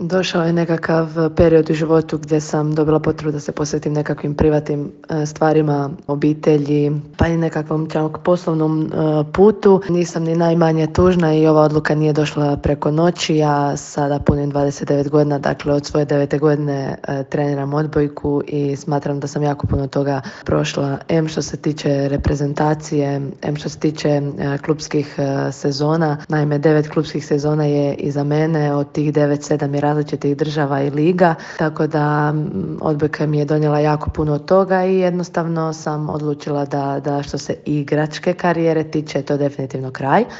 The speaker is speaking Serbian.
Došao je nekakav period u životu gdje sam dobila potrebu da se posvetim nekakvim privatnim stvarima, obitelji, pa i nekakvom poslovnom putu. Nisam ni najmanje tužna i ova odluka nije došla preko noći. Ja sada punim 29 godina, dakle od svoje 9. godine treniram odbojku i smatram da sam jako puno toga prošla. Em što se tiče reprezentacije, em što se tiče klupskih sezona. Naime, 9 klupskih sezona je iza mene, od tih 9, 7 je različitih država i liga, tako da odbojka mi je donijela jako puno od toga i jednostavno sam odlučila da što se igračke karijere tiče, to je definitivno kraj.